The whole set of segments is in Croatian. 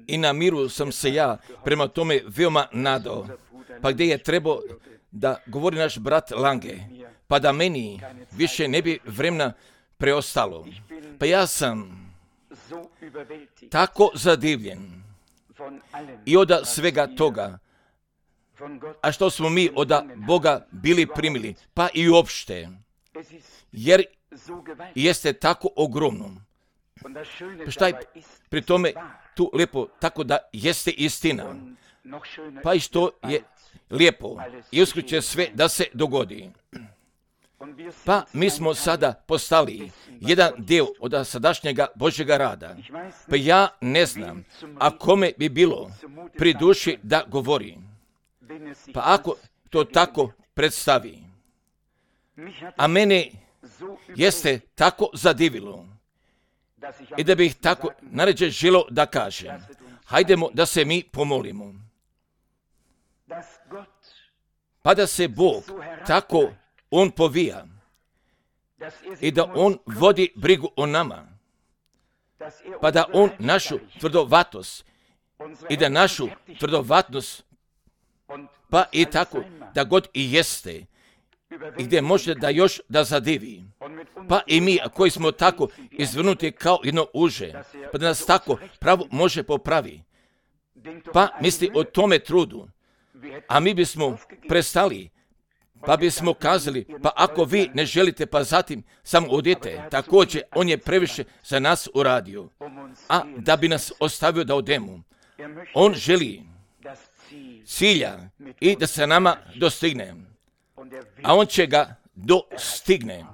I na miru sam se ja prema tome veoma nadao. Pa gdje je trebao da govori naš brat Lange, pa da meni više ne bi vremena preostalo. Pa ja sam tako zadivljen i od svega toga, a što smo mi od Boga bili primili, pa i uopšte, jer jeste tako ogromno. Pa šta je pri tome tu lijepo, tako da jeste istina, pa i što je lijepo i uskoro će sve da se dogodi. Pa mi smo sada postali jedan dio od sadašnjega Božjega rada. Pa ja ne znam, a kome bi bilo pri duši da govori. Pa ako to tako predstavi. A mene jeste tako zadivilo i da bih tako naređe želo da kažem. Hajdemo da se mi pomolimo. Pa da se Bog tako On povija i da On vodi brigu o nama, pa da On našu tvrdovatost i da našu tvrdovatost, pa i tako da god i jeste i gdje može da još da zadivi, pa i mi koji smo tako izvrnuti kao jedno uže, pa da nas tako pravo može popravi, pa misli o tome trudu, a mi bismo prestali, pa bismo kazali, pa ako vi ne želite, pa zatim samo odite. Također, on je previše za nas uradio, a da bi nas ostavio da odemo. On želi cilja i da se nama dostigne, a on će ga dostigne.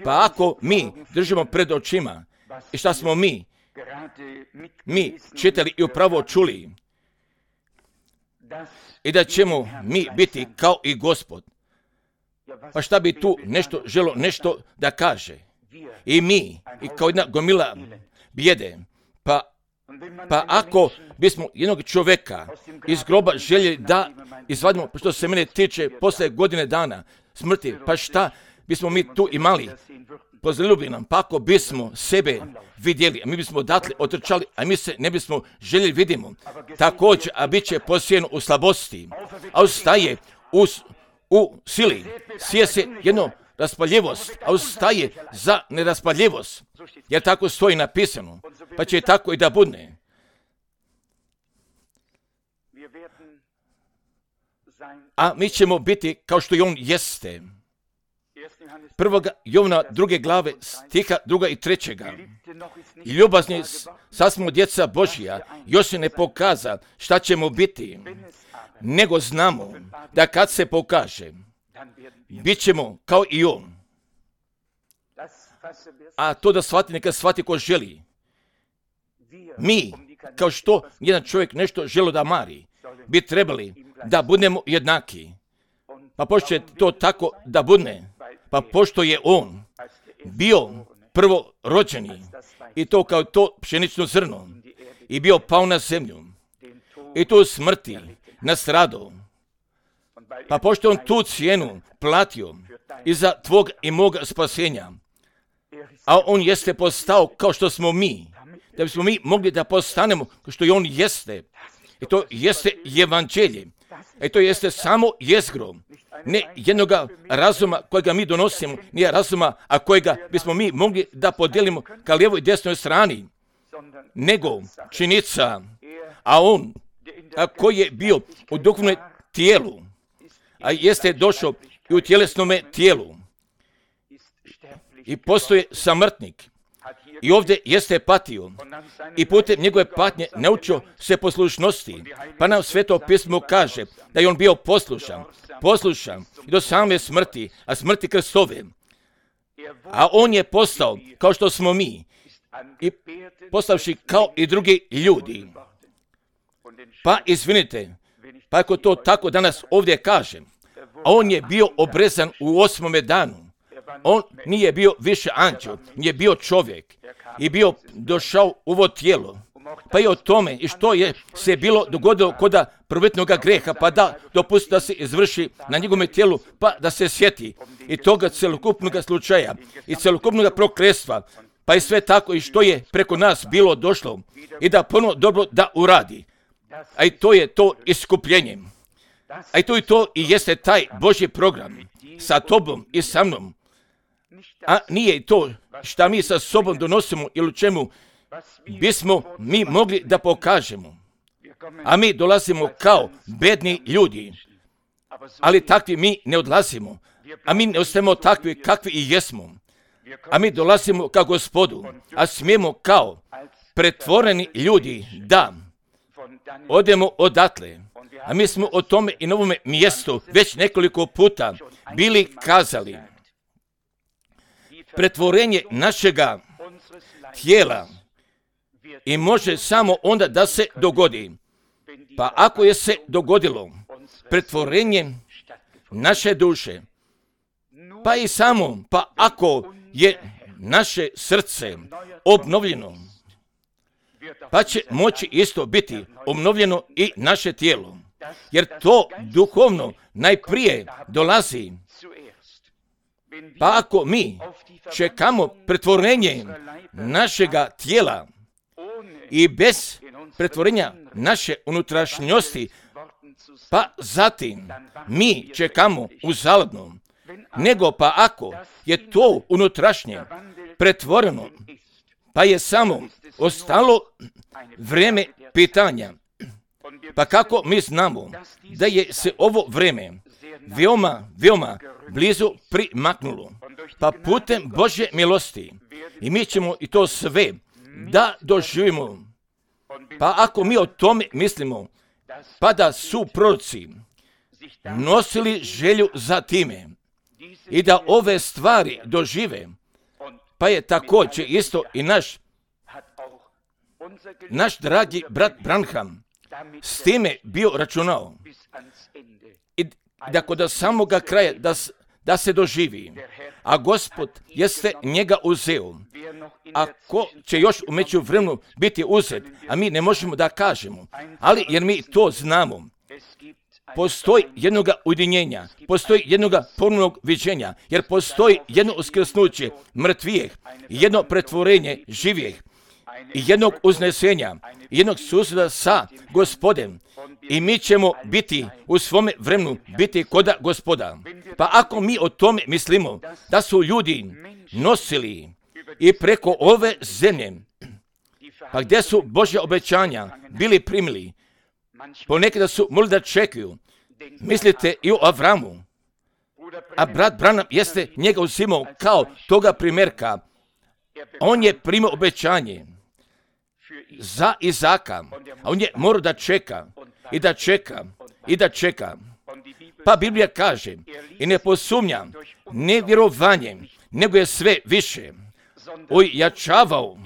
Pa ako mi držimo pred očima i šta smo mi čitali i upravo čuli, i da ćemo mi biti kao i Gospod. Pa šta bi tu nešto da kaže? I mi, i kao jedna gomila bijede. Pa ako bismo jednog čovjeka iz groba željeli da izvadimo, što se mene tiče, posle godine dana smrti, pa šta bismo mi tu imali? Pozaljubi nam, pa ako bismo sebe vidjeli, a mi bismo odatle otrčali, a mi se ne bismo željeli vidimo. Također, a bit će posijeno u slabosti, a ustaje u sili. Sije se jedno raspaljivost, a ustaje za neraspaljivost. Jer tako stoji napisano, pa će tako i da budne. A mi ćemo biti kao što i on jeste. 1. Jovana 2. glave stiha 2. i 3. I ljubazni, sad smo djeca Božja, još se ne pokaza šta ćemo biti, nego znamo da kad se pokaže, bit ćemo kao i on. A to da shvati, neka shvati ko želi. Mi, kao što jedan čovjek nešto želi da mari, bi trebali da budemo jednaki. Pa pošto je to tako da budne, pa pošto je on bio prvo rođeni i to kao to pšenično zrno i bio pao na zemlju i tu smrti nastradao, pa pošto on tu cijenu platio i za tvog i moga spasenja, a on jeste postao kao što smo mi, da bismo mi mogli da postanemo kao što i on jeste. I to jeste evanđelje. I to jeste samo jezgro. Ne jednoga razuma kojega mi donosimo, nije razuma, a kojega bismo mi mogli da podijelimo ka lijevoj i desnoj strani, nego činjenica, a on, a koji je bio u duhovnom tijelu, a jeste došao i u tjelesnome tijelu, i postoje samrtnik, i ovdje jeste patio, i putem njegove patnje naučio se poslušnosti, pa nam Sveto pismo kaže da je on bio poslušan i do same smrti, a smrti krstove. A on je postao kao što smo mi, i postavši kao i drugi ljudi. Pa izvinite, pa ako to tako danas ovdje kažem, a on je bio obrezan u 8. danu. On nije bio više anđel, nije bio čovjek i bio došao u ovo tijelo. Pa i o tome i što je se bilo dogodilo kod prvotnog greha, pa da dopusti da se izvrši na njegovom tijelu, pa da se sjeti i toga celokupnog slučaja i celokupnog prokletstva, pa je sve tako i što je preko nas bilo došlo i da puno dobro da uradi. A i to je to iskupljenje. A i to i jeste taj Božji program sa tobom i sa mnom. A nije to šta mi sa sobom donosimo ili u čemu bismo mi mogli da pokažemo. A mi dolazimo kao bedni ljudi. Ali takvi mi ne odlazimo. A mi ne ostajemo takvi kakvi i jesmo. A mi dolazimo kao Gospodu. A smijemo kao pretvoreni ljudi da odemo odatle. A mi smo o tome i na ovome mjestu već nekoliko puta bili kazali. Pretvorenje našega tijela i može samo onda da se dogodi. Pa ako je se dogodilo pretvorenje naše duše, pa i samo, pa ako je naše srce obnovljeno, pa će moći isto biti obnovljeno i naše tijelo. Jer to duhovno najprije dolazi. Pa ako mi čekamo pretvorenje našega tijela i bez pretvorenja naše unutrašnjosti, pa zatim mi čekamo uzaludno. Nego pa ako je to unutrašnje pretvoreno, pa je samo ostalo vrijeme pitanja. Pa kako mi znamo da je se ovo vrijeme veoma blizu primaknulo? Pa putem Božje milosti. I mi ćemo i to sve da doživimo. Pa ako mi o tome mislimo, pa da su proroci nosili želju za time i da ove stvari dožive, pa je također isto i naš dragi brat Branham s time bio računao. I da kod samoga kraja da se doživi. A Gospod jeste njega uzeo. A ko će još u međuvremenu biti uzet, a mi ne možemo da kažemo. Ali jer mi to znamo. Postoji jednoga ujedinjenja, postoji jednoga ponovnog viđenja, jer postoji jedno uskrsnuće mrtvijeh, jedno pretvorenje živijeh, i jednog uznesenja, jednog susreta sa Gospodem. I mi ćemo biti u svome vremenu biti koda Gospoda. Pa ako mi o tome mislimo da su ljudi nosili i preko ove zemlje, pa gdje su Božja obećanja bili primili, ponekada su mogli da čekaju. Mislite i o Avramu, a brat Branham jeste njega uzimao kao toga primjerka. On je primio obećanje za Izaka, a on je morao da čeka i da čeka i da čeka. Pa Biblija kaže i ne posumnja nevjerovanjem, nego je sve više ojačavao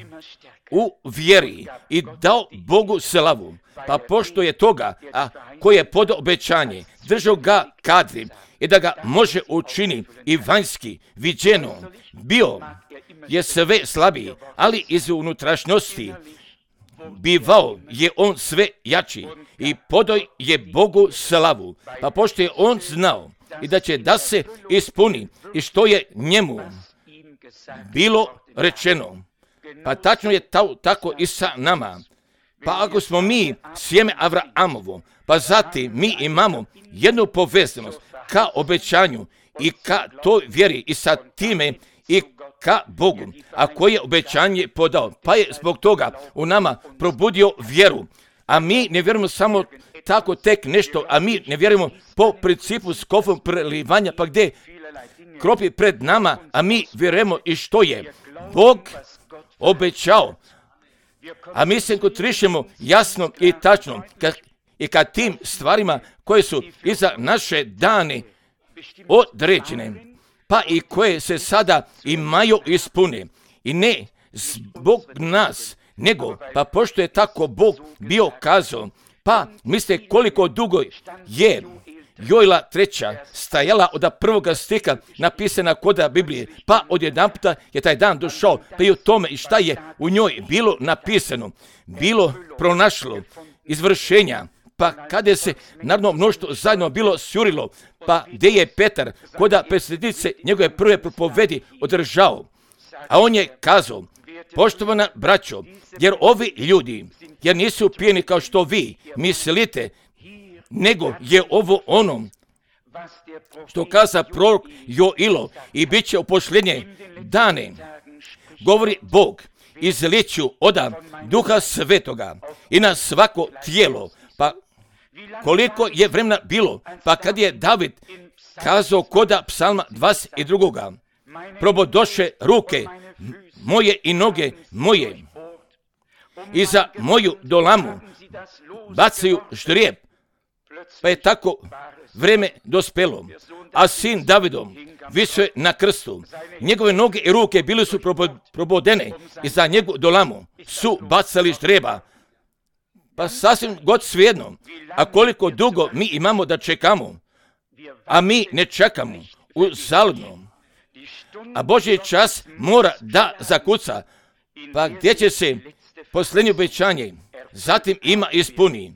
u vjeri i dao Bogu slavu. Pa pošto je toga, a koji je podao obećanje, držao ga kadri i da ga može učini i vanjski viđeno, bio je sve slabiji, ali iz unutrašnjosti bivao je on sve jači i podao je Bogu slavu. Pa pošto je on znao i da će da se ispuni i što je njemu bilo rečeno, pa tačno je tako i sa nama. Pa ako smo mi sjeme Avraamovo, pa zatim mi imamo jednu povezanost ka obećanju i ka toj vjeri i sa time i ka Bogu, a koji je obećanje podao, pa je zbog toga u nama probudio vjeru. A mi ne vjerujemo samo tako tek nešto, a mi ne vjerujemo po principu skofom prelivanja, pa gdje kropi pred nama, a mi vjerujemo i što je Bog obećao. A mi se kontrišemo jasno i tačno i kad tim stvarima koje su i za naše dane određene, pa i koje se sada imaju ispune. I ne zbog nas, nego pa pošto je tako Bog bio kazao, pa mislite koliko dugo je Joela 3. stajala od prvoga stiha napisana koda Biblije, pa odjedanputa je taj dan došao, pa i o tome i šta je u njoj bilo napisano, bilo pronašlo izvršenja, pa kada se naravno mnoštvo zajedno bilo sjurilo, pa gdje je Petar koda predsjednice njegove prve propovedi održao, a on je kazao, Poštovana braćo, jer ovi ljudi, jer nisu pijeni kao što vi mislite, nego je ovo ono što kaza prorok Joilo i bit će u posljednje dane. Govori Bog, izliću oda Duha Svetoga i na svako tijelo. Pa koliko je vremena bilo, pa kad je David kazao koda psalma 22. Probodoše ruke moje i noge moje i za moju dolamu bacaju ždrijeb. Pa je tako vreme dospelo, a sin Davidom visio je na krstu. Njegove noge i ruke bili su probodene i za njegu dolamu su bacali ždrijeba. Pa sasvim god svejedno, a koliko dugo mi imamo da čekamo, a mi ne čekamo uzaludno. A Božji čas mora da zakuca, pa gdje će se posljednje obećanje zatim ima ispuni.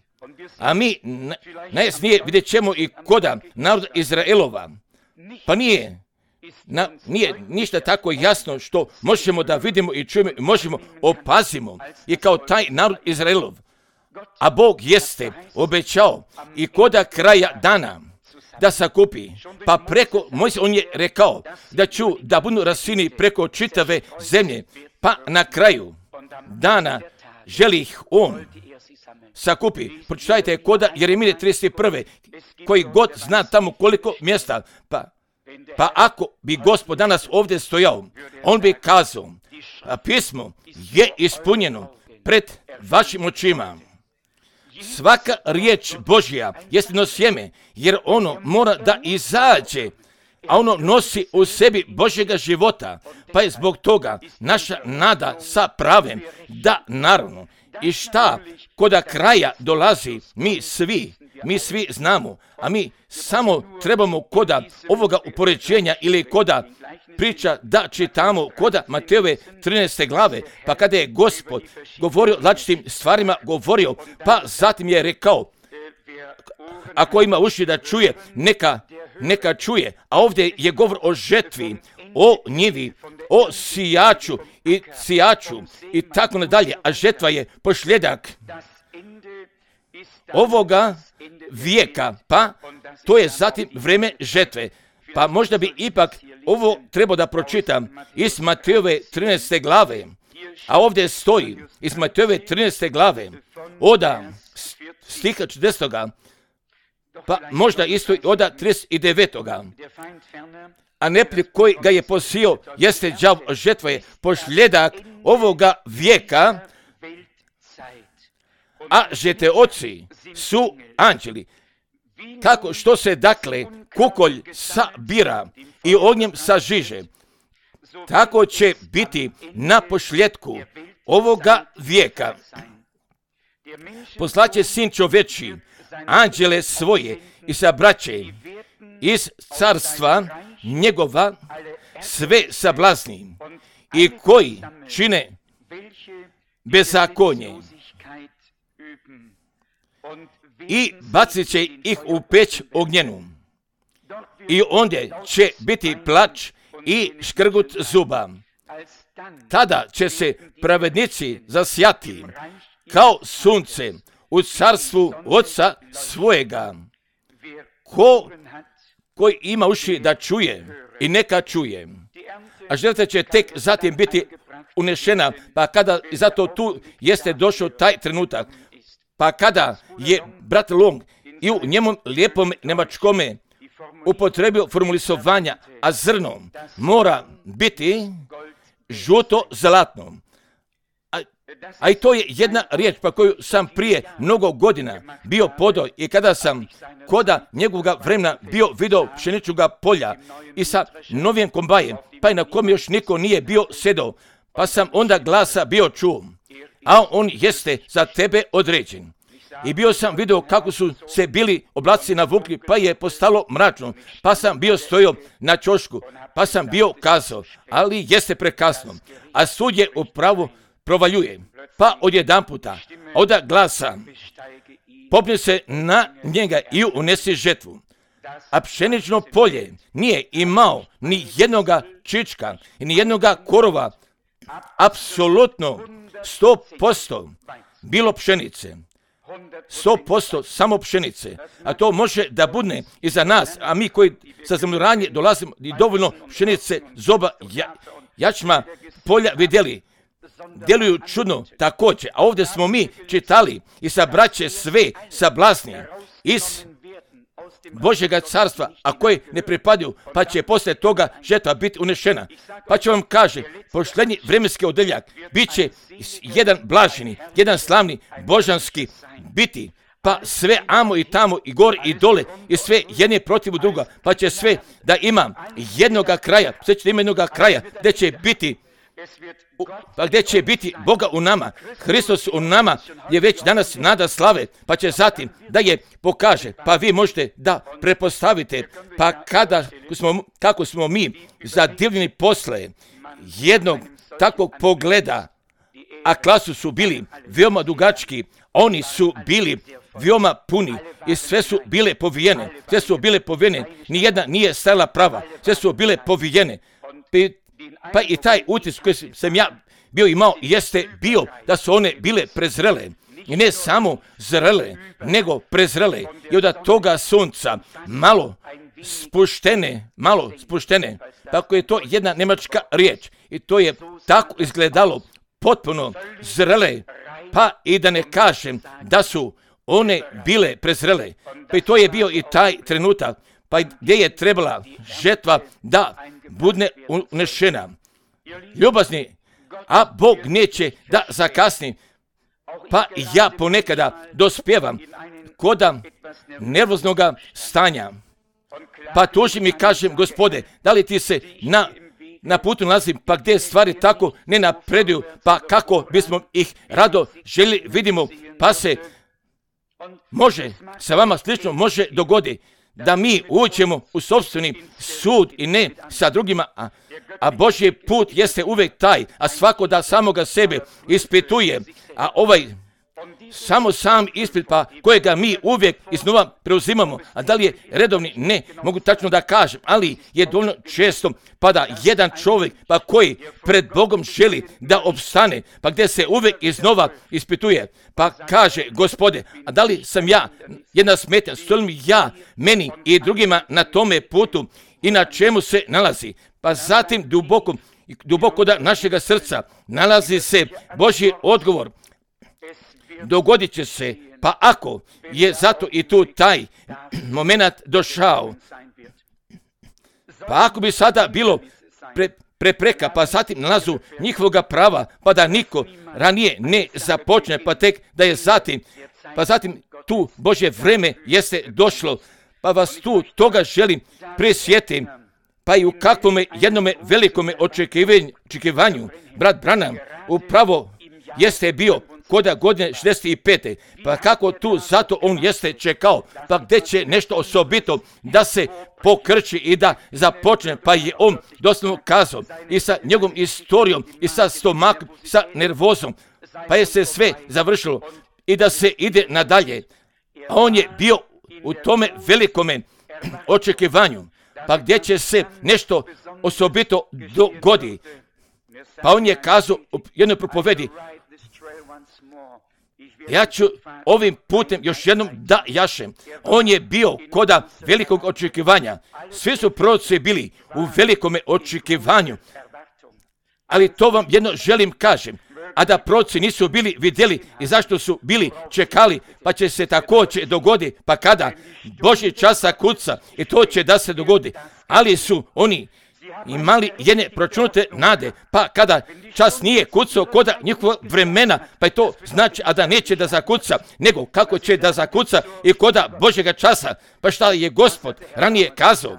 A mi najjasnije vidjet ćemo i koda naroda Izraelova. Pa nije ništa tako jasno što možemo da vidimo i čujemo i možemo opazimo i kao taj narod Izraelov. A Bog jeste obećao i koda kraja dana da sakupi, pa preko Mojsija on je rekao da budu rasini preko čitave zemlje, pa na kraju dana želi ih on sakupi. Pročitajte koda Jeremije 31. koji god zna tamo koliko mjesta, pa ako bi Gospod danas ovdje stojao, on bi kazao, a pismo je ispunjeno pred vašim očima. Svaka riječ Božja jest jedno sjeme, jer ono mora da izađe, a ono nosi u sebi Božjega života, pa je zbog toga naša nada sa pravem da naravno i šta koda kraja dolazi, mi svi znamo, a mi samo trebamo koda ovoga upoređenja ili koda priča da čitamo koda Matejove 13. glave, pa kada je Gospod govorio o različitim stvarima, pa zatim je rekao, ako ima uši da čuje, neka čuje, a ovdje je govor o žetvi, o njivi, o sijaču i tako nadalje, a žetva je posljedak ovoga vijeka, pa to je zatim vrijeme žetve. Pa možda bi ipak ovo trebao da pročitam iz Matejove 13. glave, a ovdje stoji iz Matejove 13. glave, oda stiha 40. pa možda isto oda 39. A neprijatelj koji ga je posio jeste đavo, žetva je posljedak ovoga vijeka, a žeteoci su anđeli. Kako što se dakle kukolj sabira i ognjem sažiže, tako će biti na posljedku ovoga vijeka. Poslaće sin čovječji anđele svoje i sabraće iz carstva njegova sve sablazni i koji čine bezakonje i bacit će ih u peć ognjenu. I ondje će biti plač i škrgut zuba. Tada će se pravednici zasjati kao sunce u carstvu Oca svojega. Koji ima uši da čuje i neka čuje. A žrtva će tek zatim biti unešena, pa kada zato tu jeste došao taj trenutak, pa kada je brat Long i u njemu lijepom nemačkome upotrebio formulisovanja, a zrno mora biti žuto zlatno. A i to je jedna riječ pa koju sam prije mnogo godina bio podao i kada sam koda njegovoga vremena bio video pšeničnoga polja i sa novim kombajem, pa i na kom još niko nije bio sedao, pa sam onda glasa bio čuo, a on jeste za tebe određen. I bio sam vidio kako su se bili oblaci navukli, pa je postalo mračno, pa sam bio stojao na ćošku, pa sam bio kazao, ali jeste prekasno, a sud je upravo provaljuje, pa odjedanputa, oda glasa, popne se na njega i unesi žetvu. A pšenično polje nije imao ni jednoga čička i ni jednoga korova apsolutno 100% bilo pšenice. 100% samo pšenice, a to može da bude i za nas, a mi koji sa zemljoranje dolazimo i dovoljno pšenice, zoba, jačma, polja vidjeli, djeluju čudno također, a ovdje smo mi čitali i sa braće sve sablasni iz Božjega carstva, a koji ne pripadaju, pa će poslije toga žetva biti unešena. Pa će vam kaže, posljednji vremenski odeljak bit će jedan blaženi, jedan slavni, božanski biti, pa sve amo i tamo i gore i dole i sve jedne protiv druga, pa će sve da ima jednoga kraja, sve će da ima jednoga kraja, gdje će biti pa gdje će biti Boga u nama, Hristos u nama je već danas nada slave, pa će zatim da je pokaže, pa vi možete da prepostavite, pa kako smo mi zadivljeni posle jednog takvog pogleda, a klasu su bili veoma dugački, oni su bili veoma puni i sve su bile povijene, nijedna nije stajala prava, sve su bile povijene. Pa i taj utis koji sam ja bio imao jeste bio da su one bile prezrele. I ne samo zrele, nego prezrele. I od toga sunca malo spuštene. Tako je to jedna nemačka riječ. I to je tako izgledalo potpuno zrele. Pa i da ne kažem da su one bile prezrele. Pa i to je bio i taj trenutak. Pa gdje je trebala žetva da bude unešena. Ljubazni, a Bog neće da zakasni, pa ja ponekada dospjevam koda nervoznoga stanja. Pa tužim i kažem, Gospode, da li ti se na putu nalazim, pa gdje stvari tako ne napreduju, pa kako bismo ih rado želi vidimo, pa se može sa vama slično može dogodi da mi uđemo u sopstveni sud i ne sa drugima, a Božji put jeste uvijek taj, a svako da samoga sebe ispituje, a ovaj samo sam ispit, pa kojega mi uvijek iznova preuzimamo, a da li je redovni, ne mogu tačno da kažem, ali je dovoljno često pa da jedan čovjek pa koji pred Bogom želi da opstane, pa gdje se uvijek iznova ispituje, pa kaže, Gospode, a da li sam ja jedna smetnja, stojim ja meni i drugima na tome putu i na čemu se nalazi, pa zatim duboko da našega srca nalazi se Božji odgovor. Dogodit će se, pa ako je zato i tu taj moment došao, pa ako bi sada bilo prepreka, pa zatim nalazu njihovoga prava, pa da niko ranije ne započne, pa tek da je zatim tu Božje vreme jeste došlo, pa vas tu toga želim prisjetim, pa i u kakvome jednome velikome očekivanju, brat Branham upravo jeste bio koda godine 65. Pa kako tu zato on jeste čekao, pa gdje će nešto osobito da se pokrči i da započne, pa je on doslovno kazao i sa njegovom istorijom i sa stomakom, sa nervozom, pa je se sve završilo i da se ide nadalje. A on je bio u tome velikome očekivanju, pa gdje će se nešto osobito dogodi. Pa on je kazao u jednoj propovedi, ja ću ovim putem još jednom da jašem. On je bio koda velikog očekivanja. Svi su proroci bili u velikome očekivanju. Ali to vam jedno želim kažem. A da proroci nisu bili vidjeli i zašto su bili čekali, pa će se također dogodi, pa kada Božji časa kuca i to će da se dogodi. Ali su oni imali jedne pročunute nade, pa kada čas nije kucao koda njihova vremena, pa je to znači, a da neće da zakuca, nego kako će da zakuca i koda Božjega časa, pa šta je Gospod ranije kazao.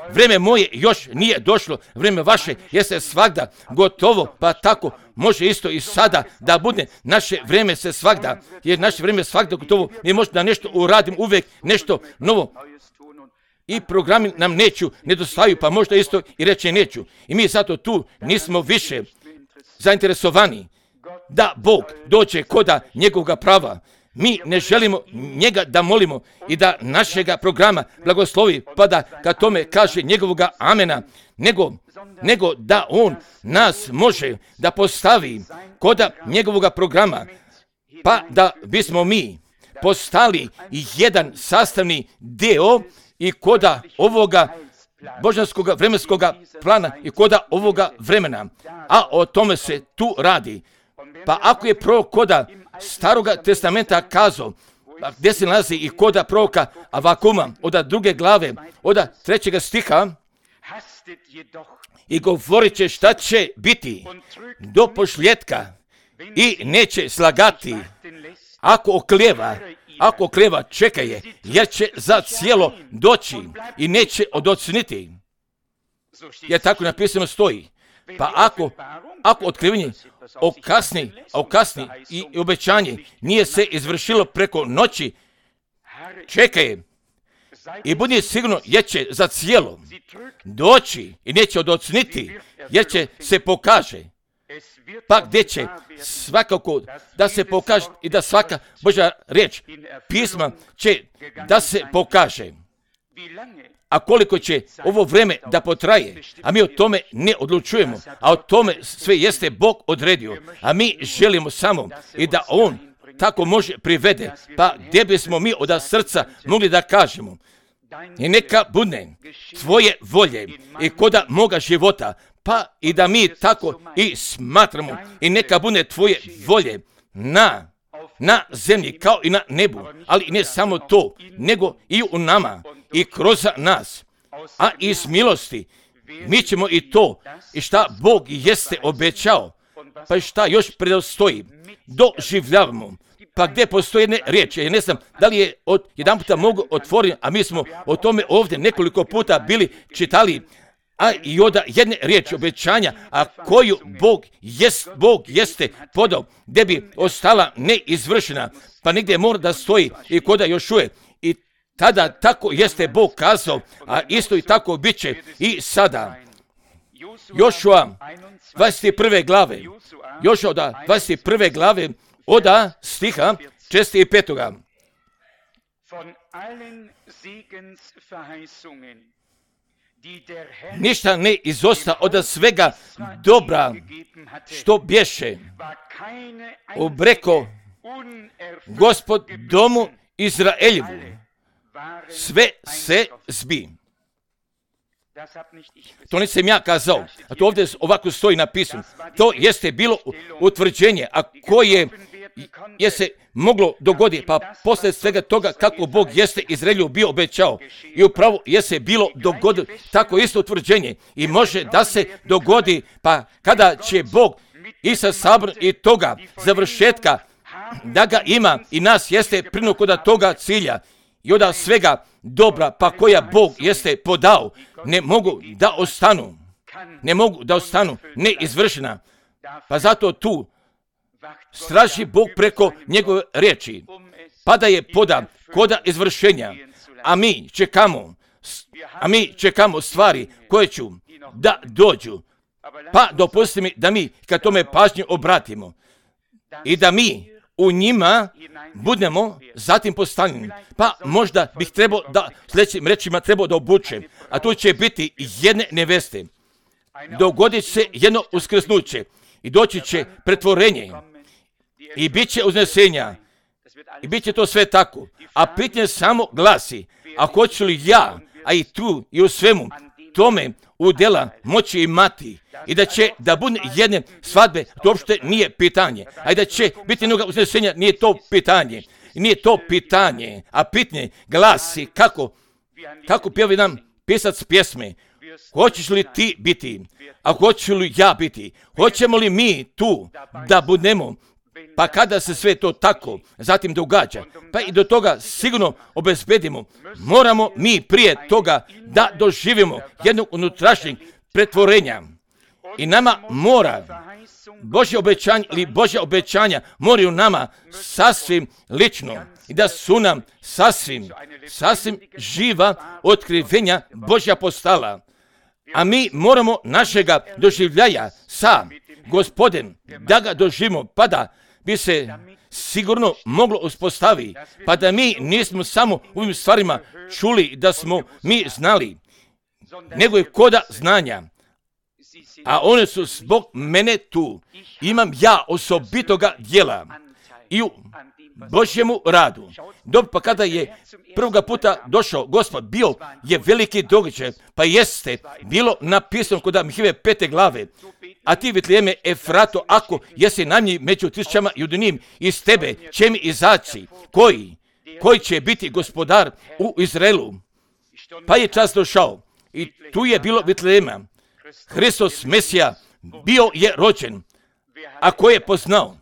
Vreme moje još nije došlo, vreme vaše jeste svagda gotovo, pa tako može isto i sada da bude naše vreme se svagda, jer naše vreme svagda gotovo, mi možda da nešto uradim uvijek, nešto novo. I programi nam nedostaju, pa možda isto i reći neću. I mi zato tu nismo više zainteresovani da Bog dođe koda njegovog prava. Mi ne želimo njega da molimo i da našega programa blagoslovi, pa da ka tome kaže njegovoga amena, nego da on nas može da postavi koda njegovoga programa, pa da bismo mi postali jedan sastavni deo i koda ovoga božanskoga vremenskoga plana i koda ovoga vremena. A o tome se tu radi. Pa ako je prorok koda Staroga testamenta kazao, gdje se nalazi i koda proroka Avakuma, od 2. glave, od 3. stiha, i govorit će šta će biti do posljetka i neće slagati. Ako oklijeva, čeka je, jer će za cijelo doći i neće odocniti. Jer tako napisano stoji. Pa ako otkrivanje okasni i obećanje nije se izvršilo preko noći, čeka je i budi sigurno jer će za cijelo doći i neće odocniti, jer će se pokaže. Pa gdje će svakako da se pokaže i da svaka Božja riječ, pisma će da se pokaže. A koliko će ovo vrijeme da potraje, a mi o tome ne odlučujemo, a o tome sve jeste Bog odredio, a mi želimo samo i da On tako može privede, pa gdje bismo mi od srca mogli da kažemo, i neka bude tvoje volje i koda moga života, pa i da mi tako i smatramo, i neka bude tvoje volje na zemlji kao i na nebu, ali ne samo to, nego i u nama i kroz nas, a iz milosti mi ćemo i to, i šta Bog jeste obećao, pa i šta još predostoji, doživljavamo. Pa gdje postoje jedne riječi, ja ne znam da li je jedan puta mogu otvoriti, a mi smo o tome ovdje nekoliko puta bili čitali, a i od jedne riječi obećanja, a koju Bog jeste podao, gdje bi ostala neizvršena, pa negdje mora da stoji i koda još uvijek. I tada tako jeste Bog kazao, a isto i tako bit će i sada. Jošua 21. glave, Jošua 21. glave, od stiha 6. i 5. Ništa ne izosta od svega dobra što bješe obreko Gospod domu Izraeljevu, sve se zbi. To nisam ja kazao, a to ovdje ovako stoji napisano. To jeste bilo utvrđenje, a koje je se moglo dogoditi, pa poslije svega toga kako Bog jeste Izraelju bio obećao. I upravo jeste bilo dogodilo tako isto utvrđenje i može da se dogodi, pa kada će Bog i sa sabor i toga završetka da ga ima i nas jeste prinuko da toga cilja i od svega dobra pa koja Bog jeste podao ne mogu da ostanu neizvršena. Pa zato tu straži Bog preko njegove riječi, pa da je poda koda izvršenja, a mi čekamo stvari koje ću da dođu, pa dopusti mi da mi kad tome pažnju obratimo i da mi u njima budemo zatim postavljeni. Pa možda bih trebao da sljedećim rečima trebao da obučem, a tu će biti jedne neveste. Dogodit se jedno uskrsnuće i doći će pretvorenje i bit će uznesenja i bit će to sve tako. A pitanje samo glasi, a hoću li ja, a i tu i u svemu tome udjela moći imati i da će da bude jedne svadbe, to uopšte nije pitanje. A i da će biti jednog uznesenja, nije to pitanje. Nije to pitanje, a pitanje glasi kako pjevi nam pisac pjesme. Hoćeš li ti biti, a hoću li ja biti? Hoćemo li mi tu da budemo? Pa kada se sve to tako zatim događa, pa i do toga sigurno obezbedimo, moramo mi prije toga da doživimo jednog unutrašnjeg pretvorenja. I nama mora Božja obećanja moraju nama sasvim lično i da su nam sasvim živa otkrivenja Božja postala. A mi moramo našega doživljaja sa Gospodem da ga doživimo, pa da bi se sigurno moglo uspostaviti, pa da mi nismo samo u ovim stvarima čuli da smo mi znali, nego je koda znanja. A one su zbog mene tu. Imam ja osobitoga djela i u Božjemu radu. Dobro, pa kada je prvoga puta došao Gospod, bio je veliki događaj, pa jeste bilo napisano kod Mihajlove 5. glave, a ti Vitlejeme Efrato, ako jesi najmnji među tisućama judinim, iz tebe će mi izaći, koji će biti gospodar u Izraelu. Pa je čas došao i tu je bilo Vitlejema. Hristos Mesija bio je rođen, a ko je poznao?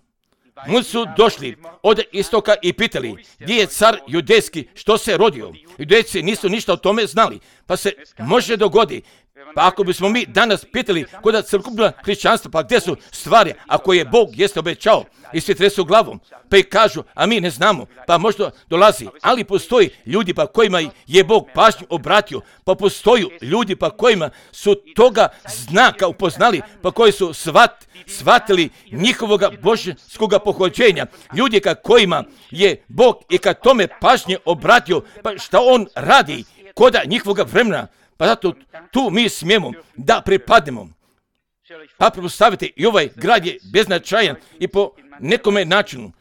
Mu su došli od istoka i pitali gdje je car judejski, što se rodio. Judejci nisu ništa o tome znali, pa se može dogoditi. Pa ako bismo mi danas pitali kod celokupnog hrišćanstva, pa gdje su stvari, ako je Bog jeste obećao, i svi tresu glavom, pa i kažu, a mi ne znamo, pa možda dolazi, ali postoji ljudi pa kojima je Bog pažnju obratio, pa postoji ljudi pa kojima su toga znaka upoznali, pa koji su shvatili njihovoga božanskoga pohođenja, ljudi ka kojima je Bog i ka tome pažnje obratio, pa šta on radi koda njihovoga vremena. Pa zato tu mi smijemo da pripadnemo. Pa pretpostavite, i ovaj grad je beznačajan i po nekome načinu.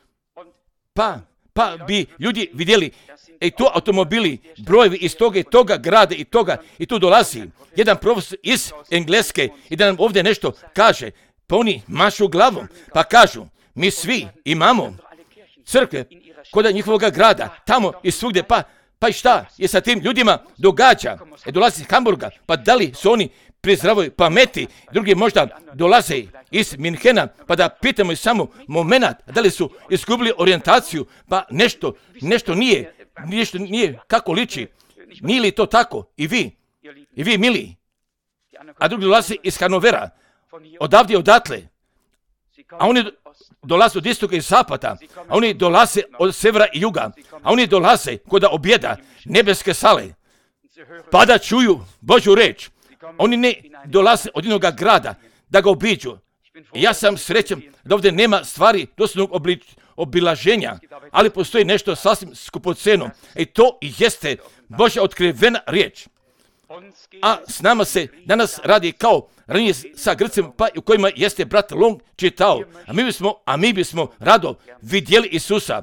Pa bi ljudi vidjeli, tu automobili, brojevi iz toga i toga grada i toga, i tu dolazi jedan profesor iz Engleske i da nam ovdje nešto kaže. Pa oni mašu glavom, pa kažu, mi svi imamo crkve kod njihovoga grada, tamo i svugdje, pa i šta je sa tim ljudima događa? Dolazi iz Hamburga, pa da li su oni pri zdravoj pameti, drugi možda dolaze iz Minhena, pa da pitamo i samo moment, da li su izgubili orijentaciju, pa nešto nije kako liči. Nije li to tako? I vi mili. A drugi dolaze iz Hanovera, odavde i odatle, a oni dolaze od istoka i zapada, a oni dolaze od severa i juga, a oni dolaze kod objeda nebeske sale, pa da čuju Božju reč. Oni ne dolaze od jednoga grada da ga obiđu. Ja sam srećan da ovdje nema stvari doslovnog obilaženja, ali postoji nešto sasvim skupoceno i to jeste Božja otkrivena riječ. A s nama se danas radi kao ranije sa Grcima, pa u kojima jeste brat Long čitao, a mi bismo rado vidjeli Isusa.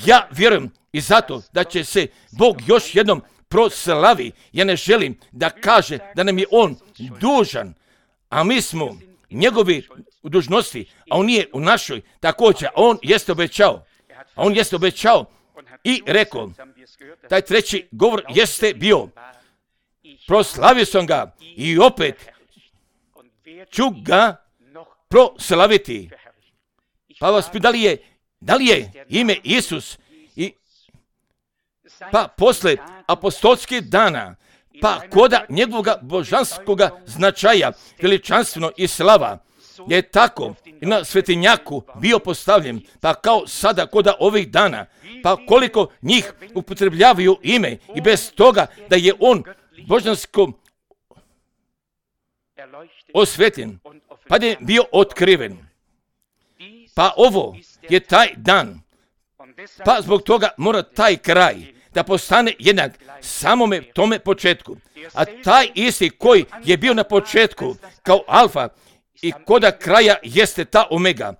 Ja vjerujem i zato da će se Bog još jednom proslavi. Ja ne želim da kaže da nam je on dužan, a mi smo njegovi u dužnosti, a on nije u našoj također. On jeste obećao i rekao, taj treći govor jeste bio, proslavio sam ga i opet ću ga proslaviti. Pa vas pitam, da li je ime Isus pa posle apostolskih dana, pa koda njegovoga božanskoga značaja, veličanstveno i slava, je tako i na svetinjaku bio postavljen, pa kao sada koda ovih dana, pa koliko njih upotrebljavaju ime i bez toga da je on božansko osvetljen, pa je bio otkriven. Pa ovo je taj dan, pa zbog toga mora taj kraj da postane jednak samome tome početku. A taj isti koji je bio na početku kao alfa i koda kraja jeste ta omega.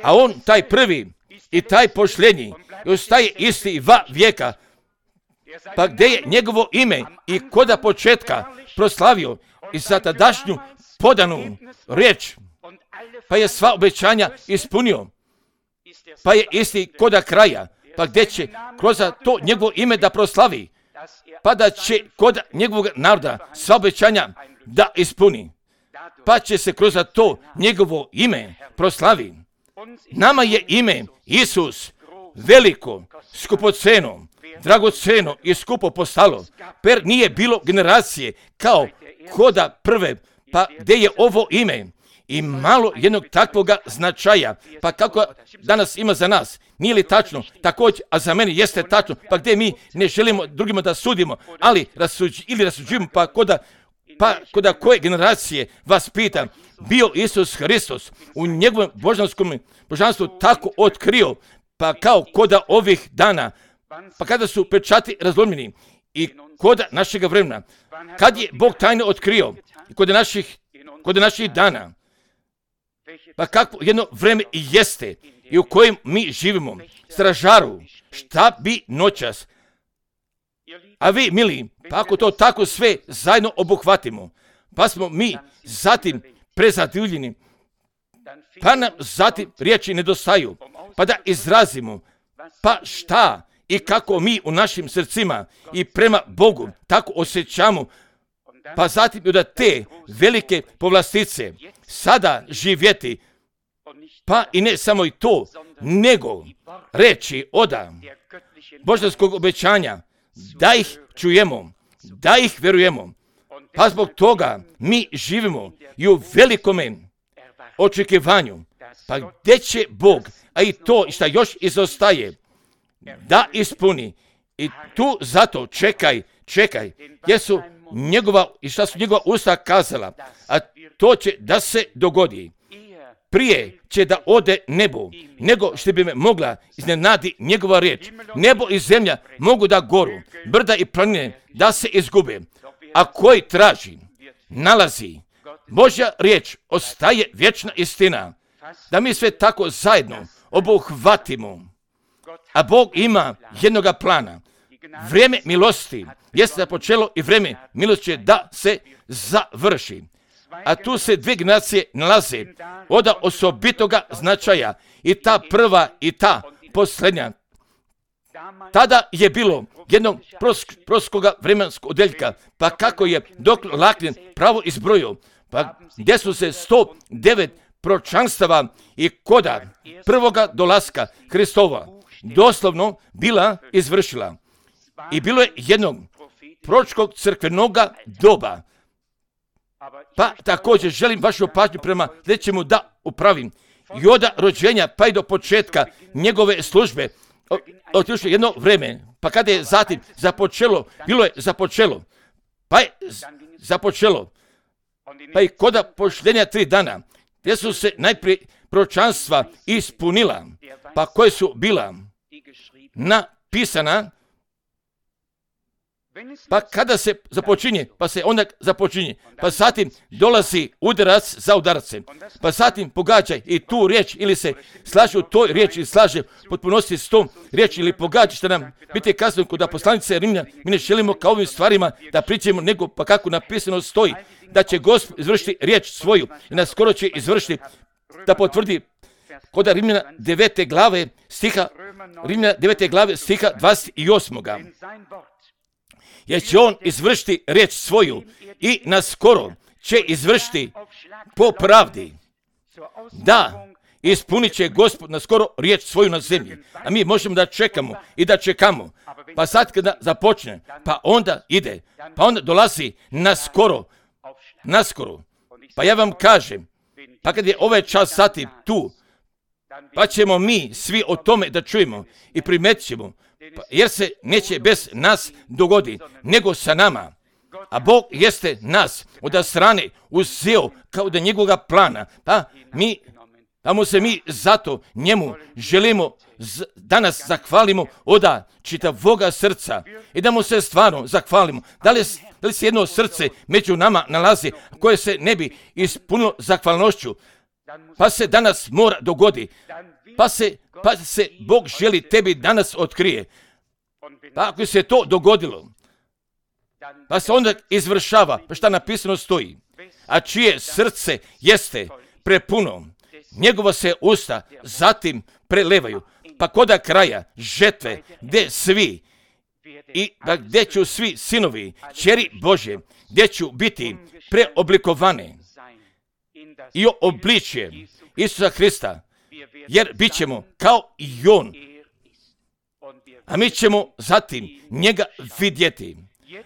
A on taj prvi i taj posljednji ostaje isti va vijeka. Pa gdje je njegovo ime i koda početka proslavio i za tadašnju podanu riječ, pa je sva obećanja ispunio, pa je isti koda kraja, pa gdje će kroz to njegovo ime da proslavi, pa da će kod njegovog naroda sva obećanja da ispuni, pa će se kroz to njegovo ime proslavi. Nama je ime Isus veliko, skupoceno, dragoceno i skupo postalo, per nije bilo generacije kao koda prve, pa gdje je ovo ime i malo jednog takvoga značaja, pa kako danas ima za nas, nije li tačno, također, a za mene jeste tačno, pa gdje mi ne želimo drugima da sudimo, ali rasuđujemo, pa koda Pa kod koje generacije vas pita, bio Isus Hristos u njegovom božanstvu tako otkrio, pa kao koda ovih dana, pa kada su pečati razlomljeni i koda našega vremena, kad je Bog tajno otkrio kod naših dana, pa kako jedno vreme i jeste i u kojem mi živimo, stražaru, šta bi noćas, a vi, mili, pa ako to tako sve zajedno obuhvatimo, pa smo mi zatim prezadivljeni, pa nam zatim riječi nedostaju, pa da izrazimo, pa šta i kako mi u našim srcima i prema Bogu tako osjećamo, pa zatim da te velike povlastice sada živjeti, pa i ne samo i to, nego reći oda božanskog obećanja, da ih čujemo, da ih vjerujemo, pa zbog toga mi živimo i u velikome očekivanju, pa gdje će Bog, a i to šta još izostaje, da ispuni. I tu zato čekaj, jer su šta su njegova usta kazala, a to će da se dogodi. Prije će da ode nebo, nego što bi me mogla iznenadi njegova riječ. Nebo i zemlja mogu da goru, brda i planine da se izgube, a koji traži, nalazi. Božja riječ ostaje vječna istina, da mi sve tako zajedno obuhvatimo. A Bog ima jednoga plana. Vrijeme milosti jeste započelo i vrijeme milosti će da se završi. A tu se dvije generacije nalaze od osobitoga značaja, i ta prva i ta posljednja. Tada je bilo jednog proskoga vremenskog odeljka, pa kako je dr. Laklin pravo izbrojio, pa gdje su se 109 proročanstava i koda prvoga dolaska Hristova doslovno bila izvršila. I bilo je jednog proročkog crkvenoga doba. Pa također želim vašu pažnju prema sljedećemu da upravim. I od rođenja pa i do početka njegove službe otišlo jedno vrijeme, pa kada je zatim započelo, bilo je započelo, pa je započelo, pa i koda pošljenja 3 dana, gdje su se najprije proročanstva ispunila, pa koje su bila napisana, pa kada se započinje, pa se onda započinje, pa zatim dolazi udarac za udarcem, pa zatim pogađaj i tu riječ, ili se slaže u toj riječi, ili slaže potpunosti s tom riječi, ili pogađa što nam biti kazano kod poslanice Rimljana. Mi ne želimo kao ovim stvarima da pričamo, nego pa kako napisano stoji, da će Gospod izvršiti riječ svoju i nas skoro će izvršiti, da potvrdi kod Rimljana 9. glave stiha 28. Jer će on izvršiti riječ svoju i naskoro će izvršiti po pravdi. Da, ispunit će Gospod naskoro riječ svoju na zemlji. A mi možemo da čekamo i da čekamo. Pa sad kada započne, pa onda ide, pa onda dolazi naskoro. Pa ja vam kažem, pa kad je ovaj čas sati tu, pa ćemo mi svi o tome da čujemo i primetit ćemo, jer se neće bez nas dogoditi, nego sa nama. A Bog jeste nas od strane uzeo kao da njegovoga plana, pa mu se mi zato njemu želimo danas zahvalimo od čitavoga srca i da mu se stvarno zahvalimo. Da li se jedno srce među nama nalazi koje se ne bi ispunilo zahvalnošću, pa se danas mora dogoditi, pa se Bog želi tebi danas otkrije. Pa ako se to dogodilo, pa se onda izvršava, pa šta napisano stoji, a čije srce jeste prepuno, njegova se usta zatim prelevaju, pa koda kraja žetve, gdje ću svi sinovi, kćeri Božje, gdje ću biti preoblikovane i obličje Isusa Hrista, jer bit ćemo kao i on, a mi ćemo zatim njega vidjeti.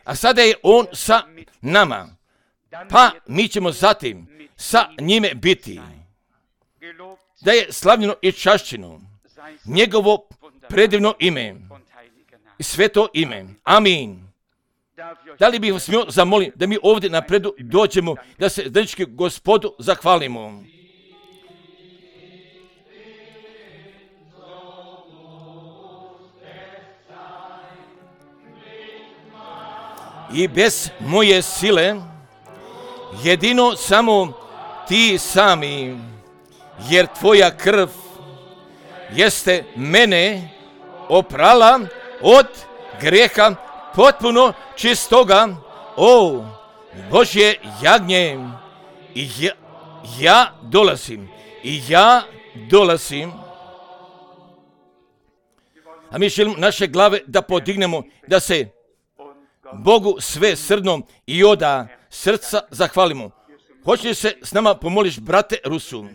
A sada je on sa nama, pa mi ćemo zatim sa njime biti. Da je slavljeno i čašćeno njegovo predivno ime i sveto ime. Amin. Da li bih vas smio zamoliti da mi ovdje napredu dođemo, da se zajednički Gospodu zahvalimo. I bez moje sile, jedino samo ti sami, jer tvoja krv jeste mene oprala od grijeha potpuno čistoga, o Božje jagnje. I ja dolazim. A mi želimo naše glave da podignemo, da se Bogu sve srdno i oda srca zahvalimo. Hoće li se s nama pomoliš, brate Rusu?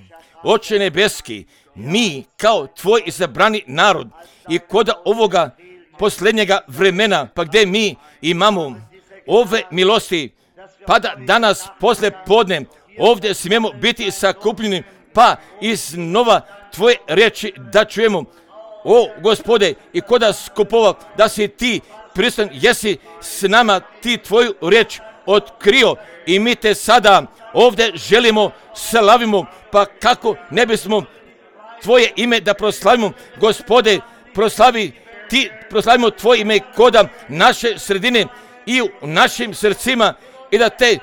Oče nebeski, mi kao tvoj izabrani narod i kod ovoga posljednjega vremena, pa gdje mi imamo ove milosti, pa da danas posle podne ovdje smijemo biti sakupljeni, pa iznova tvoje riječi da čujemo. O Gospode, i koda skupova da si ti prisutan, jesi s nama ti tvoju riječ otkrio i mi te sada ovdje želimo slavimo, pa kako ne bismo tvoje ime da proslavimo, Gospode, proslavimo tvoje ime koda naše sredine i u našim srcima i da te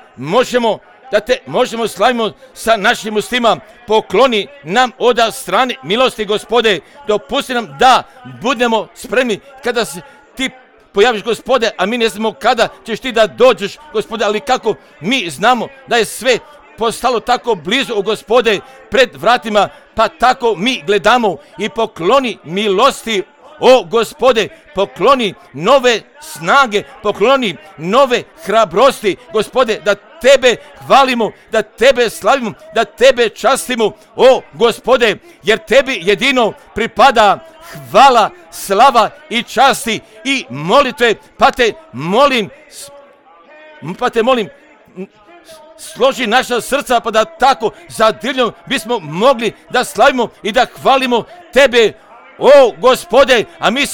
možemo slavimo sa našim ustima. Pokloni nam od strane milosti, Gospode, dopusti nam da budemo spremni kada se ti pojaviš, Gospode, a mi ne znamo kada ćeš ti da dođeš, Gospode, ali kako mi znamo da je sve postalo tako blizu, Gospode, pred vratima, pa tako mi gledamo i pokloni milosti, o Gospode, pokloni nove snage, pokloni nove hrabrosti, Gospode, da tebe hvalimo, da tebe slavimo, da tebe častimo, o Gospode, jer tebi jedino pripada hvala, slava i časti i molitve, pa te molim, složi naša srca, pa da tako zadivljeno bismo mogli da slavimo i da hvalimo tebe, o Gospode, a mi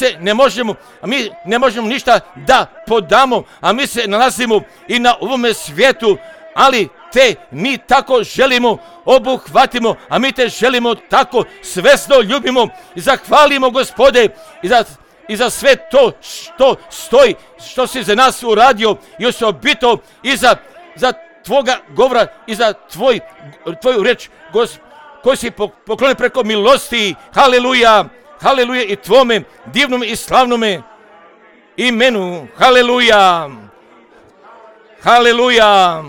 ne možemo ništa da podamo, a mi se nalazimo i na ovome svijetu, ali te mi tako želimo obuhvatimo, a mi te želimo tako svesno ljubimo i zahvalimo, Gospode, i za sve to što stoji, što si za nas uradio i osobito i za tvoga govora i za tvoju reč, koju si poklonio preko milosti. Haleluja, haleluja i tvome divnome i slavnome imenu. Haleluja, haleluja.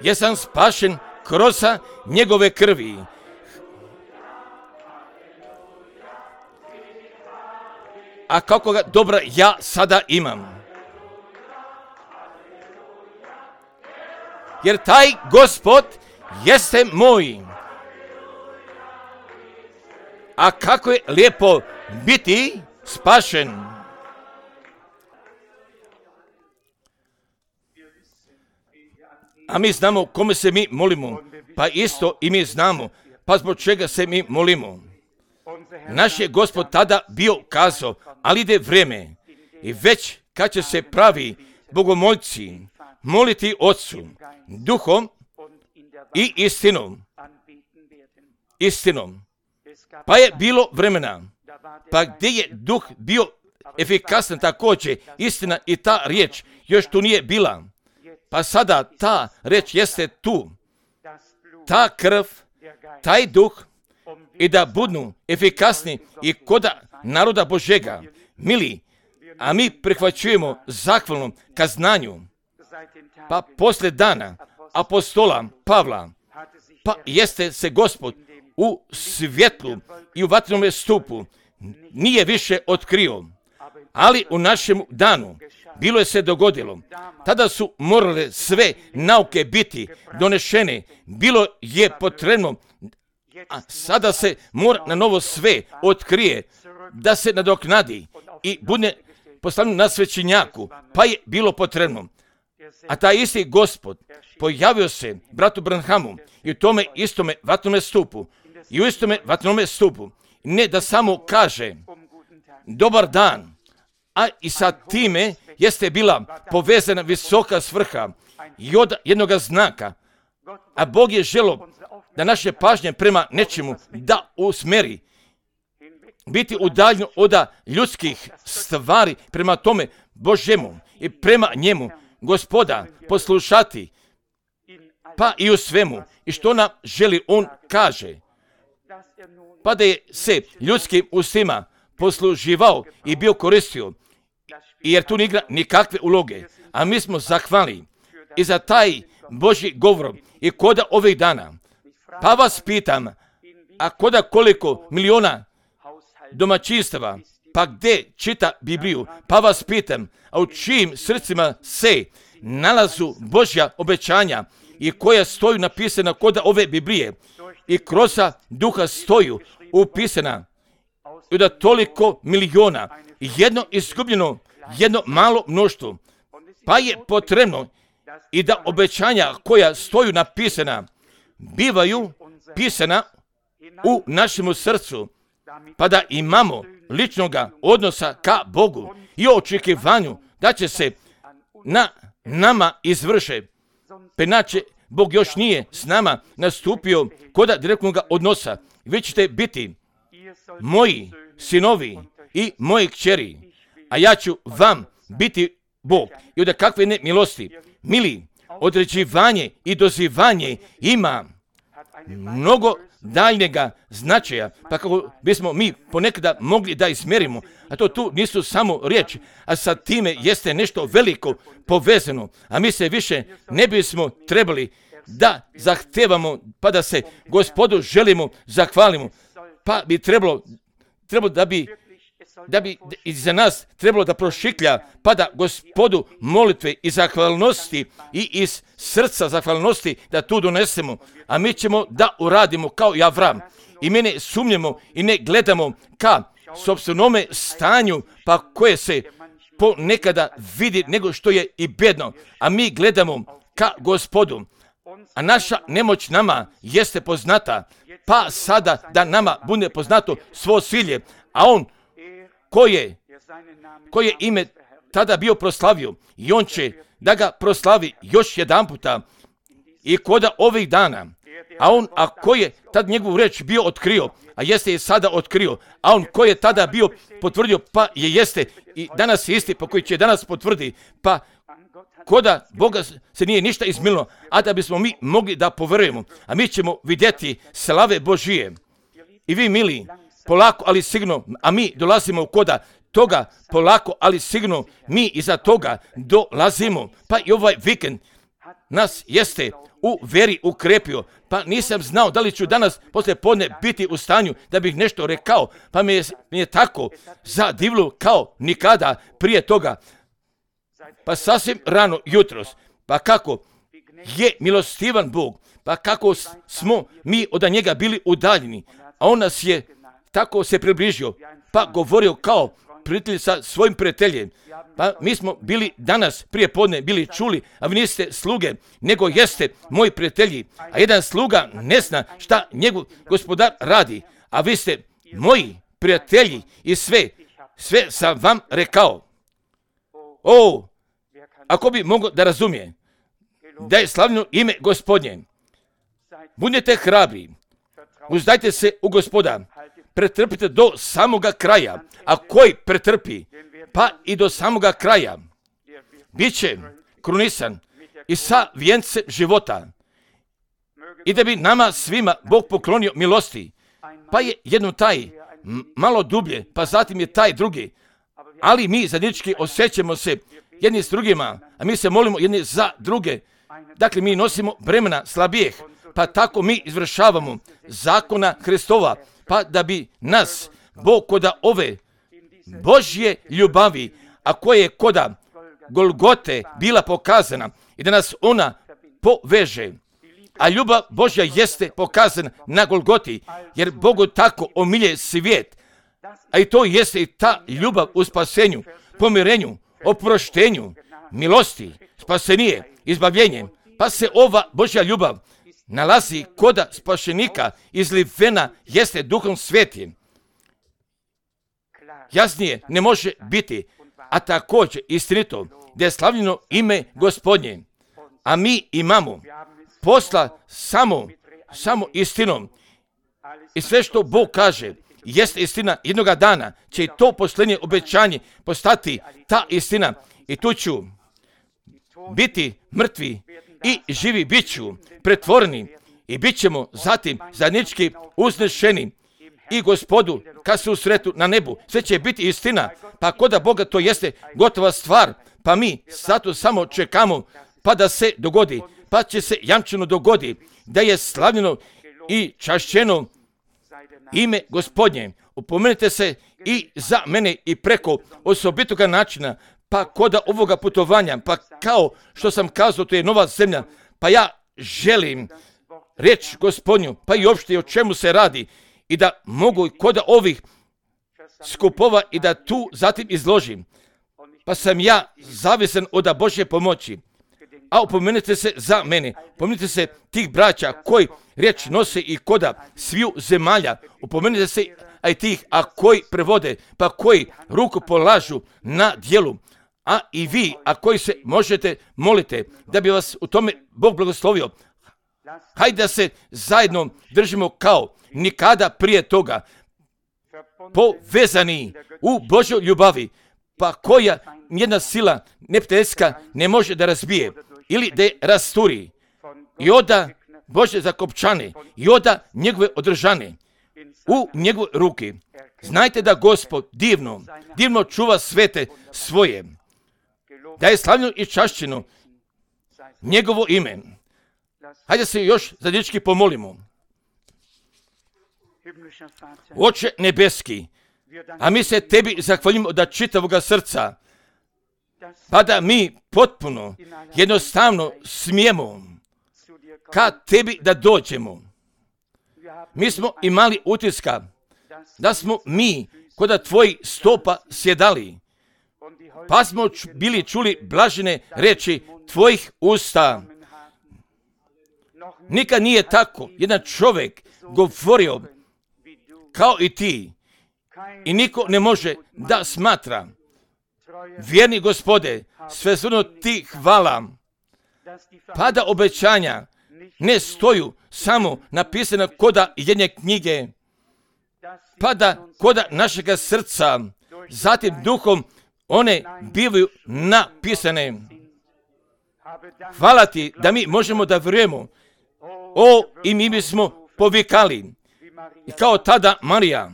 Jesam spašen kroz njegove krvi. A kako ga dobra ja sada imam. Jer taj Gospod jeste moj. A kako je lijepo biti spašen. A mi znamo kome se mi molimo, pa isto i mi znamo, pa zbog čega se mi molimo. Naš je Gospod tada bio kazao, ali ide vrijeme i već kad će se pravi bogomoljci moliti Otcu, duhom i istinom. Pa je bilo vremena, pa gdje je duh bio efikasan također, istina i ta riječ još tu nije bila. Pa sada ta riječ jeste tu, ta krv, taj duh, i da budu efikasni i koda naroda Božega. Mili, a mi prihvaćujemo zahvalno ka znanju, pa poslije dana apostola Pavla, pa jeste se Gospod u svjetlu i u vatrenome stupu nije više otkrio, ali u našem danu bilo je se dogodilo. Tada su morale sve nauke biti donešene, bilo je potrebno, a sada se mora na novo sve otkrije, da se nadoknadi i bude postavljeno na svećenjaku, pa je bilo potrebno. A taj isti Gospod pojavio se bratu Branhamu i u tome istome vatrenome stupu, Ne da samo kaže dobar dan, a i sa time jeste bila povezana visoka svrha i od jednoga znaka. A Bog je želio da naše pažnje prema nečemu da usmeri, biti udaljen od ljudskih stvari prema tome Božjemu i prema njemu Gospoda poslušati, pa i u svemu. I što nam želi on kaže, pa da je se ljudskim ustima posluživao i bio koristio, jer tu ne igra nikakve uloge. A mi smo zahvalni i za taj Božji govor i koda ovih dana. Pa vas pitam, a koda koliko miliona domaćinstava, pa gdje čita Bibliju? Pa vas pitam, a u čijim srcima se nalazu Božja obećanja i koja stoju napisana koda ove Biblije i kroz duha stoju upisana i da toliko miliona, jedno izgubljeno, jedno malo mnoštvo, pa je potrebno i da obećanja koja stoju napisana bivaju pisana u našemu srcu, pa da imamo ličnoga odnosa ka Bogu i očekivanju da će se na nama izvrše. Penače, Bog još nije s nama nastupio koda direktnog odnosa. Vi ćete biti moji sinovi i moje kćeri, a ja ću vam biti Bog. I od kakve ne milosti, mili, određivanje i dozivanje ima mnogo daljnjega značaja, pa kako bismo mi ponekada mogli da izmjerimo, a to tu nisu samo riječi, a sa time jeste nešto veliko povezano, a mi se više ne bismo trebali da zahtevamo, pa da se Gospodu želimo, zahvalimo, pa bi trebalo da bi iza nas trebalo da prošiklja, pa da Gospodu molitve i zahvalnosti i iz srca zahvalnosti da tu donesemo, a mi ćemo da uradimo kao i Avram. I mi ne sumnjamo i ne gledamo ka sopstvenome stanju, pa koje se ponekada vidi nego što je i bedno, a mi gledamo ka Gospodu. A naša nemoć nama jeste poznata, pa sada da nama bude poznato svo silje, a on koje ime tada bio proslavio i on će da ga proslavi još jedan puta i koda ovih dana. A on, a ko je tad njegovu reč bio otkrio, a jeste je sada otkrio, a on ko je tada bio potvrdio, pa je jeste i danas je isti, pa koji će danas potvrdi, pa koda Boga se nije ništa izmililo, a da bismo mi mogli da poverujemo, a mi ćemo vidjeti slave Božije. I vi, mili, polako, ali sigurno, a mi dolazimo koda toga, polako, ali sigurno, mi iza toga dolazimo. Pa i ovaj vikend nas jeste u veri ukrepio, pa nisam znao da li ću danas poslije podne biti u stanju da bih nešto rekao, pa mi je tako zadivilo kao nikada prije toga. Pa sasvim rano jutros, pa kako je milostivan Bog, pa kako smo mi od njega bili udaljeni, a on nas je tako se približio, pa govorio kao prijatelj sa svojim prijateljem. Pa mi smo bili danas prije podne bili čuli, a vi niste sluge, nego jeste moji prijatelji, a jedan sluga ne zna šta njegov gospodar radi, a vi ste moji prijatelji i sve sam vam rekao. O, ako bi mogao da razumije da je slavno ime Gospodnje, budite hrabri, uzdajte se u Gospoda, pretrpite do samoga kraja, a koji pretrpi, pa i do samoga kraja, bit će krunisan i sa vijencem života. I da bi nama svima Bog poklonio milosti, pa je jedno taj malo dublje, pa zatim je taj drugi, ali mi zajednički osjećamo se jedni s drugima, a mi se molimo jedni za druge. Dakle, mi nosimo bremena slabijeh, pa tako mi izvršavamo zakona Hristova, pa da bi nas Bog koda ove Božje ljubavi, a koje je koda Golgote bila pokazana i da nas ona poveže. A ljubav Božja jeste pokazana na Golgoti, jer Bogu tako omilje svijet, a i to jeste i ta ljubav u spasenju, pomirenju, oproštenju, milosti, spasenije, izbavljenje. Pa se ova Božja ljubav nalazi koda spašenika izlivena jeste Duhom Svetim. jasnije ne može biti, a također istinito, da je slavljeno ime Gospodnje. A mi imamo posla samo istinom. I sve što Bog kaže, jeste istina, jednoga dana će i to posljednje obećanje postati ta istina. I tu ću biti mrtvi i živi bit ću pretvoreni i bit ćemo zatim zajednički uznešeni i Gospodu kad se usretu na nebu. Sve će biti istina, pa kod Boga to jeste gotova stvar, pa mi zato samo čekamo pa da se dogodi, pa će se jamčeno dogodi da je slavljeno i čašćeno ime Gospodnje. Upomenite se i za mene i preko osobitoga načina, pa kod ovoga putovanja, pa kao što sam kazao, to je nova zemlja, pa ja želim reći Gospodnju, pa i uopšte o čemu se radi, i da mogu kod ovih skupova i da tu zatim izložim. Pa sam ja zavisan od Božje pomoći. A upomenite se za mene, upomenite se tih braća koji riječ nose i koda sviju zemalja, upomenite se a i tih, a koji prevode, pa koji ruku polažu na djelu, a i vi, a koji se možete molite, da bi vas u tome Bog blagoslovio. Hajde da se zajedno držimo kao nikada prije toga, povezani u Božjoj ljubavi, pa koja nijedna sila neprijateljska ne može da razbije ili da je rasturi. I oda Božje zakopčane, i oda njegove održane u njegove ruke. Znajte da Gospod divno čuva svete svoje, da je slavljeno i čašćeno njegovo ime. Hajde se još zajednički pomolimo. Oče nebeski, a mi se tebi zahvaljujemo od čitavoga srca, pa da mi potpuno, jednostavno smijemo ka tebi da dođemo. Mi smo imali utiska da smo mi kod tvojih stopa sjedali, pa smo bili čuli blažene reči tvojih usta. Nikad nije tako jedan čovjek govorio kao i ti, i niko ne može da smatra. Vjerni Gospode, svejedno ti hvala, pa da obećanja ne stoju samo napisana koda jedne knjige, pa da koda našega srca, zatim duhom one bivaju napisane. Hvala ti da mi možemo da vjerujemo. I mi bismo povikali, i kao tada Marija,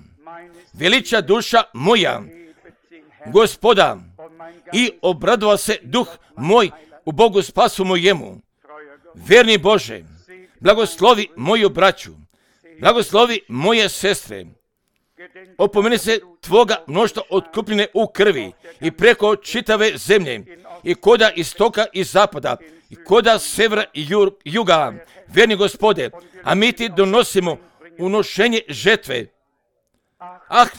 veliča duša moja Gospoda, i obradova se duh moj u Bogu spasu mojemu. Vjerni Bože, blagoslovi moju braću, blagoslovi moje sestre. Opomeni se tvoga mnoštva otkupljene u krvi i preko čitave zemlje, i koda istoka i zapada, i koda severa i juga. Vjerni Gospode, a mi ti donosimo unošenje žetve.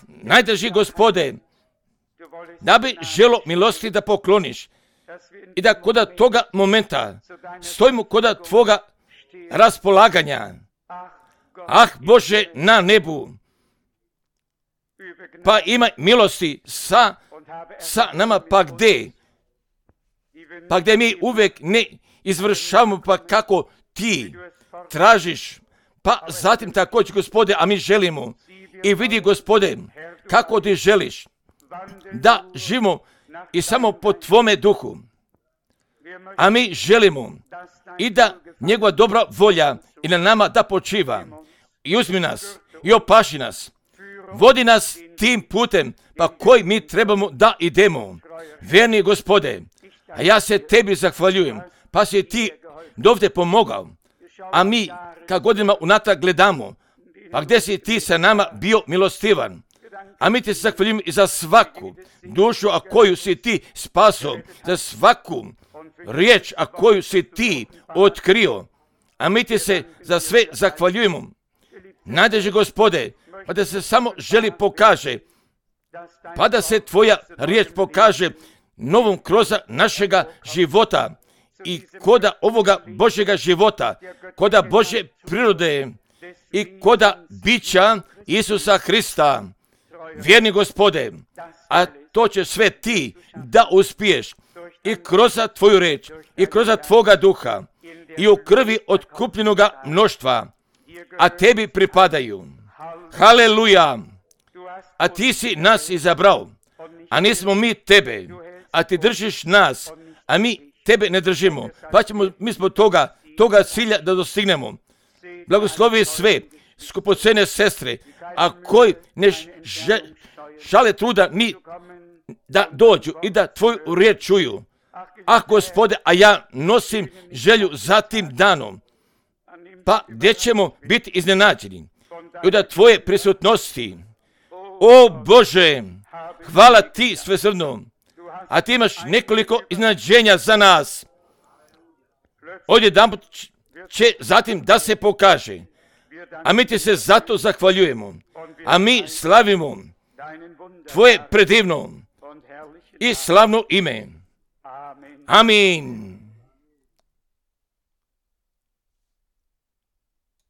Najdraži Gospode, da bi želo milosti da pokloniš i da koda toga momenta stojimo koda tvoga raspolaganja. Bože na nebu, pa imaj milosti sa nama, pa gdje mi uvijek ne izvršavamo pa kako ti tražiš, pa zatim također Gospode, a mi želimo i vidi Gospode kako ti želiš da živimo i samo po tvome duhu, a mi želimo i da njegova dobra volja i na nama da počiva i uzmi nas i opaši nas, vodi nas tim putem pa koji mi trebamo da idemo. Vjerni Gospode, a ja se tebi zahvaljujem, pa si ti dovde pomogao, a mi kad godinama unatrag gledamo, pa gdje si ti sa nama bio milostivan, a mi ti se zahvaljujemo i za svaku dušu, a koju si ti spaso, za svaku riječ, a koju si ti otkrio, a mi ti se za sve zahvaljujemo. Najdraži Gospode, pa da se samo želi pokaže, pa da se tvoja riječ pokaže novom kroz našega života i koda ovoga Božjega života, koda Božje prirode i koda bića Isusa Hrista. vjerni Gospode, a to će sve ti da uspiješ i kroz tvoju reč, i kroz tvoga duha, i u krvi otkupljenoga mnoštva, a tebi pripadaju. Haleluja! A ti si nas izabrao, a nismo mi tebe, a ti držiš nas, a mi tebe ne držimo, pa ćemo mi smo toga cilja da dostignemo. Blagoslovi sve skupocene sestre, a koji ne žale truda ni da dođu i da tvoju riječ čuju. Ah, Gospode, a ja nosim želju za tim danom, pa gdje ćemo biti iznenađeni i da tvoje prisutnosti. O Bože, hvala ti svesrdno, a ti imaš nekoliko iznenađenja za nas. Odjedanput će zatim da se pokaže, a mi ti se zato zahvaljujemo, a mi slavimo tvoje predivno i slavno ime. Amin.